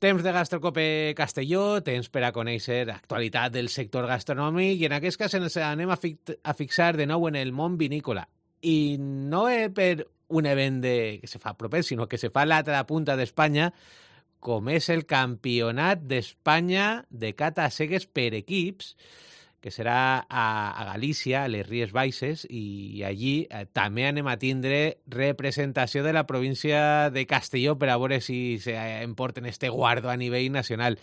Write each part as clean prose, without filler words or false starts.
Temps de Gastrocope Castelló, temps per a conèixer l'actualitat del sector gastronòmic i en aquest cas ens anem a fixar de nou en el món vinícola. I no per un event que se fa proper, sinó que se fa a l'altra punta d'Espanya, com és el Campionat d'Espanya de cata a cegues per equips, que serà a Galícia, a les Ries Baixes, i allí també anem a tindre representació de la província de Castelló per a veure si emporten este guardo a nivell nacional.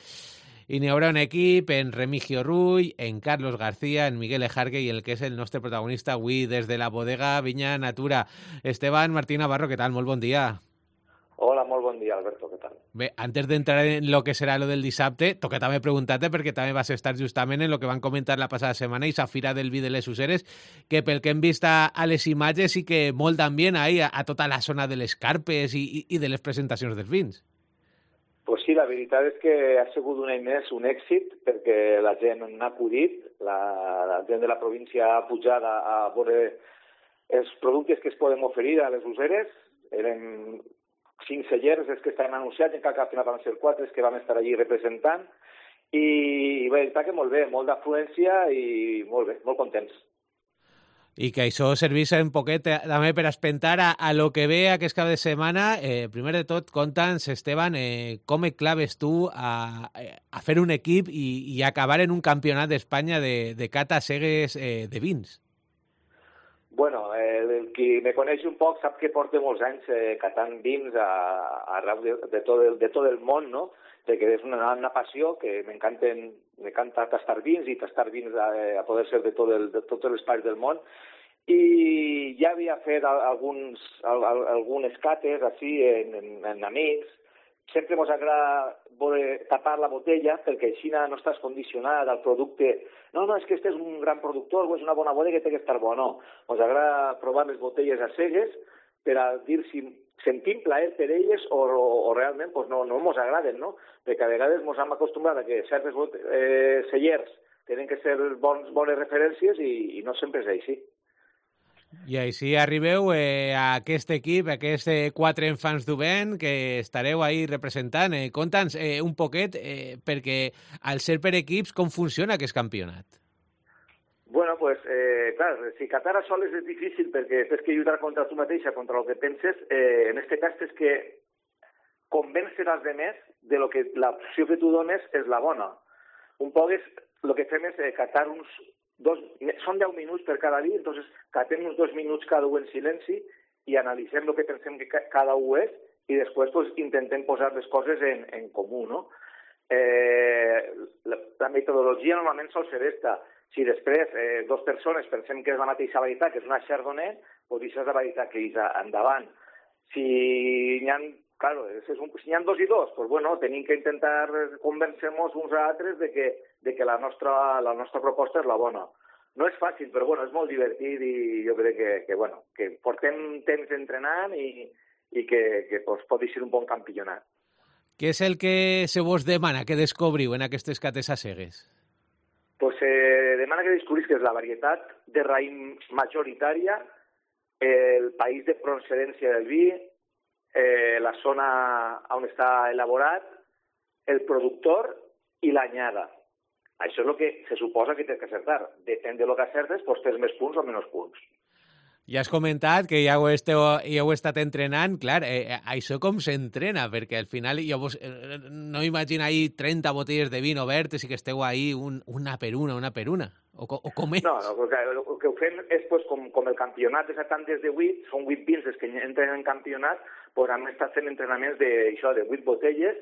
I n'hi haurà un equip en Remigio Rull, en Carlos García, en Miguel Ejarque i el que és el nostre protagonista avui des de la bodega Vinya Natura. Esteban Martín Navarro, què tal? Molt bon dia. Hola, molt bon dia, Alberto, què tal? Bé, antes d'entrar en lo que serà lo del dissabte, toca també preguntar-te, perquè també vas estar justament en lo que van comentar la passada setmana i la Fira del Vi de les Useres, que pel que hem vist a les imatges sí que molt d'ambient ahí a tota la zona de les carpes i de les presentacions dels vins. Pues sí, la veritat és que ha sigut un any més un èxit, perquè la gent n'ha acudit, la gent de la província ha pujat a veure els productes que es poden oferir a les useres. Eren 5 cellers els que estaven anunciats, encara que al final van ser 4 els que vam estar allí representant, i bé, està que molt bé, molt d'afluència i molt bé, molt contents. I que això servís un poquet també per espentar a lo que ve aquest cap de setmana. Primer de tot, conta'ns, Esteban, com et claves tu a fer un equip i acabar en un campionat d'Espanya de cata a cegues de vins? Bueno, el qui me coneix un poc sap que porto molts anys catant vins arreu de tot el món, no? Perquè és una passió que m'encanta tastar vins i tastar vins a poder ser de tots els parts del món. I ja havia fet algunes cates així en amics. Sempre ens agrada tapar la botella perquè així no estàs condicionat al producte. No, és que este és un gran productor o és una bona bodega que té que estar bo. No, ens agrada provar les botelles a cegues per a dir si sentim plaer per elles o realment no ens agraden, no? Perquè a vegades ens hem acostumbrat a que certes cellers tenen que ser bones referències i no sempre és així. I així arribeu a aquest equip, a aquests 4 infants d'Ubén que estareu ahí representant. Conta'ns un poquet, perquè al ser per equips, com funciona aquest campionat? Bueno, pues, clar, si catar a soles és difícil perquè tens que lluitar contra tu mateixa, contra el que penses. En aquest cas tens que convèncer els altres de lo que l'opció que tu dones és la bona. Un poc el que fem és catar són 10 minuts per cada vi, entonces catem uns 2 minuts cada un en silenci i analitzem el que pensem que cada un és i després pues, intentem posar les coses en comú, no? La metodologia normalment sol ser esta. Si després 2 persones pensem que és la mateixa varietat, que és una Chardonnay, doncs això és la varietat que és endavant. Si n'hi ha 2 i 2, doncs bueno, tenim que intentar convèncer-nos uns a altres de que la nostra proposta és la bona. No és fàcil, però bueno, és molt divertit i jo crec que portem temps entrenant i que pot ser un bon campionat. Què és el que se vos demana que descobriu en aquestes cates a cegues? Pues demana que descobrís que és la varietat de raïm majoritària, el país de procedència del vi, la zona on està elaborat, el productor i l'anyada. Això és el que se suposa que tens que acertar. Depèn de lo que acertes, doncs tens més punts o menys punts. Ja has comentat que ja ho heu estat entrenant. Clar, això com s'entrena? Perquè al final jo no imagino ahí 30 botelles de vino obertes i que esteu ahí una per una. O com és? No, el que ho fem és pues, com el campionat és a tantes de 8, són 8 vins els que entren en campionat, doncs hem estat fent entrenaments de 8 botelles,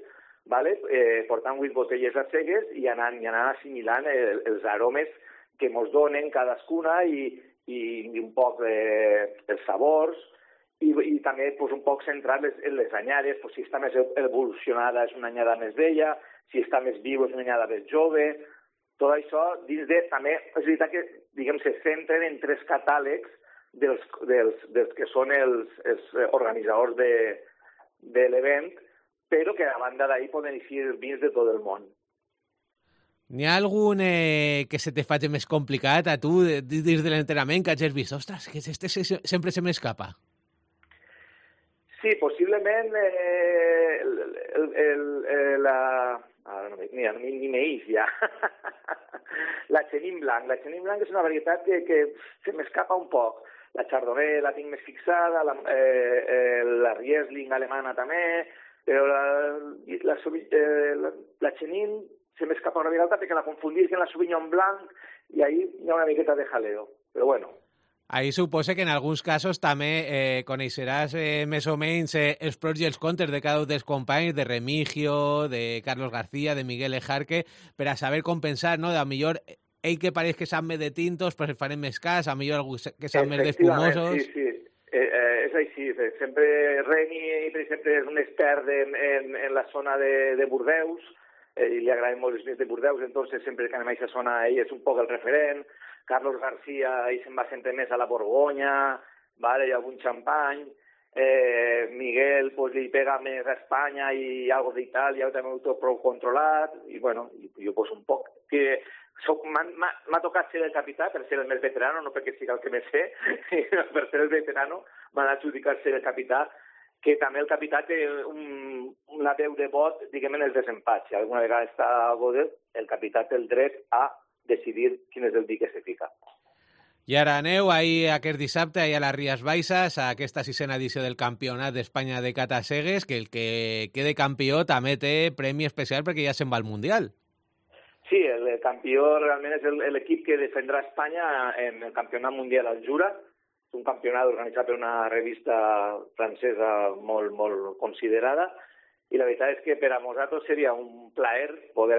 vale? Portant 8 botelles a cegues i anant assimilant els aromes que ens donen cadascuna i un poc els sabors i també pues, un poc centrar en les anyades, pues, si està més evolucionada és una anyada més vella, si està més viu és una anyada més jove. Tot això dins de, també, és veritat que diguem, se centren en 3 catàlegs dels que són els organitzadors de l'event, però que a banda d'ahir poden eixir vins de tot el món. N'hi ha algun que se te faci més complicat a tu dins de l'entrenament que hagis vist? Ostres, que este sempre se m'escapa. Sí, possiblement ni meís ja. La Chenin Blanc. La Chenin Blanc és una varietat que se m'escapa un poc. La Chardonnay la tinc més fixada, la Riesling alemana també, però la Chenin se m'escapa una mica perquè la confundís amb la Sauvignon Blanc i ahí hi ha una miqueta de jaleo. Però bueno, ahí supose que en alguns casos també coneixeràs més o menys els pros i els contres de cada un dels companys, de Remigio, de Carlos García, de Miguel Ejarque, per a saber com pensar, no? De millor ell que pareix que sap més de tintos, però farem més cas, a millor algú que sap més d'espumosos. Sí. És així. Sempre Reni, per exemple, és un expert en la zona de Bordeus, i li agraden molt els vins de Bordeus, entonces sempre que anem a aquesta zona ell és un poc el referent. Carlos García, ell se'n va sempre més a la Borgonya, vale, i algun xampany. Miguel pues, li pega més a Espanya i algo d'Itàlia, també ho té prou controlat, i bueno, jo pues, un poc que m'ha tocat ser el capità per ser el més veterano, no perquè sigui el que més sé, per ser el veterano m'han adjudicat ser el capità, que també el capità té una veu de vot, diguem, en els desempats. Si alguna vegada està a Godel, el capità té el dret a decidir quin és el vi que se fica. I ara aneu ahir aquest dissabte a les Ries Baixes, a aquesta sisena edició del Campionat d'Espanya de Cata Cegues, que el que quede campió també té premi especial perquè ja se'n va al Mundial. Sí, el campió realment és l'equip que defendrà Espanya en el Campionat Mundial al Jura, un campionat organitzat per una revista francesa molt, molt considerada, i la veritat és que per a nosaltres seria un plaer poder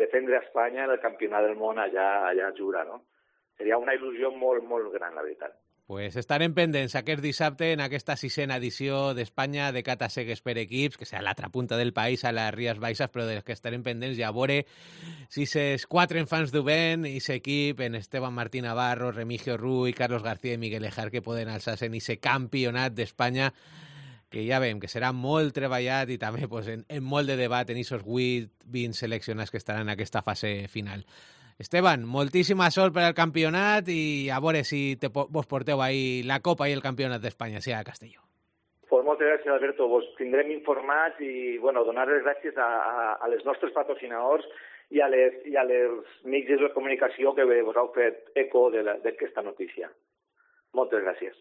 defendre Espanya en el Campionat del Món allà a Jura, no? Seria una il·lusió molt, molt gran, la veritat. Pues estarem pendents aquest dissabte en aquesta sisena edició d'Espanya de Cata Cegues per equips, que serà a l'altra punta del país, a les Ries Baixes, però dels que estarem pendents ja a veure si ses quatre infants d'Uben i s'equip en Esteban Martí Navarro, Remigio Ruy, Carlos García i Miguel Ejarque poden alçar-se en aquest campionat d'Espanya, que ja veiem que serà molt treballat i també pues, en molt de debat en aquests 8-20 seleccionats que estaran en aquesta fase final. Esteban, moltíssima sort per al campionat i a veure si vos porteu ahí la Copa i el Campionat d'Espanya, sigui a Castelló. Pues moltes gràcies, Alberto. Vos tindrem informats i bueno, donar les gràcies a les nostres patrocinadors i a les mitjans de comunicació que vos heu fet eco d'aquesta notícia. Moltes gràcies.